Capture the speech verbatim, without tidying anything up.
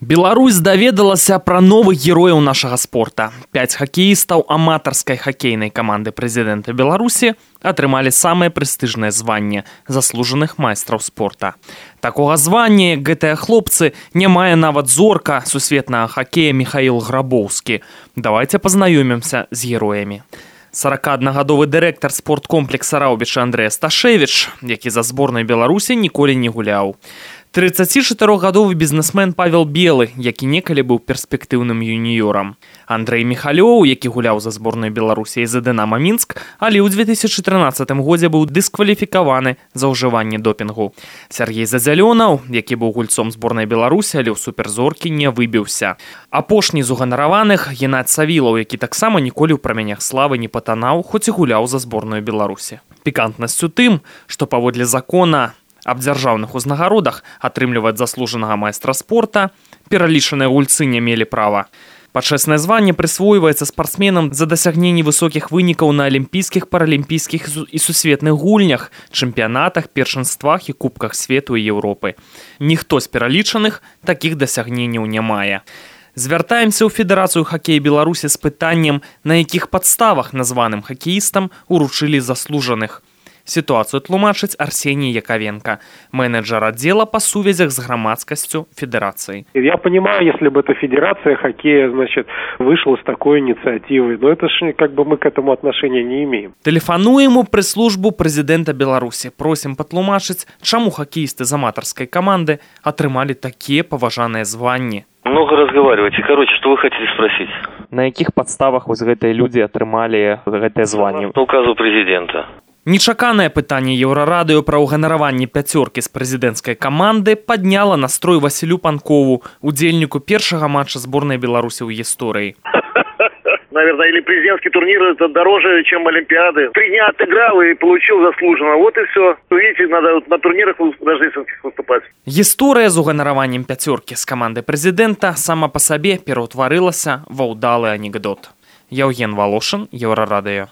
Беларусь даведалася пра новых герояў нашага спорта. Пяць хакеістаў аматарскай хакейнай каманды прэзідэнта Беларусі атрымалі самае прэстыжнае званне заслужаных майстраў спорта. Такога звання, як гэтыя хлопцы, не мае нават зорка сусветнага хакея Михаил Грабоўскі. Давайте пазнаёмімся з героямі. саракааднагадовы дырэктар спорткомплекса Раўбіча Андрэй Сташевіч, які за зборнай Беларусі ніколі не гуляў. трыццацічатырохгадовы бізнесмен Павел Белы, які некалі быў перспектыўным юніёрам. Андрэй Михалёў, які гуляў за зборнай Беларусі з Дынама Мінск, але ў дзве тысячы трынаццатым годзе быў дыскваліфікаваны за ўжыванне допінгу. Сяргей Задзялёнаў, які быў гульцом зборнай Беларусі, але ў суперзоркі не выбіўся. Апошні з уганараваных Геннадзь Савілаў, які таксама ніколі ў праменях славы не патанаў, хоць і гуляў за зборную Беларусі. Пікантнасць у тым, што паводле закона аб дзяржаўных узнагародах атрымліваць заслужанага майстра спорта пералічаныя гульцы не мелі права. Пачэснае званне прысвойваецца спартсменам за дасягненне высокіх вынікаў на алімпійскіх, паралімпійскіх і сусветных гульнях, чэмпіянатах, першынствах і кубках свету і Еўропы. Ніхто з пералічаных такіх дасягненняў не мае. Звяртаемся ў Федэрацыю хакея Беларусі з пытаннем, на якіх падставах названым хакеістам уручылі заслужаных. Ситуацию тлумачыць Арсений Яковенко, менеджер отдела по сувязях с громадскостью Федерации. Я понимаю, если бы эта Федерация хоккея, значит, вышла с такой инициативой, но это ж как бы мы к этому отношения не имеем. Телефонуем у пресс-службу президента Беларуси. Просим патлумачыць, чаму хоккеисты з аматарской команды атрымали такие поважанные звания. Много разговариваете. Короче, что вы хотите спросить? На якіх подставах вось гэтыя люди атрымали гэтае званне? По указу президента. Нечаканае пытанне Еўрарадыё пра ўганараванне пяцёркі з прэзідэнцкай каманды падняла настрой Васілю Панкову, удзельніку першага матча зборнай Беларусі ў гісторыі. Наверное, или президентский турнир это дороже, чем Олимпиады. Три дня отыграл и получил заслуженно. Вот и все. Видите, надо на турнирах рождественских выступать. Гісторыя з уганараваннем пяцёркі з каманды прэзідэнта сама па сабе пераўтварылася ва ўдалы анекдот. Яўген Волошин, Еўрарадыё.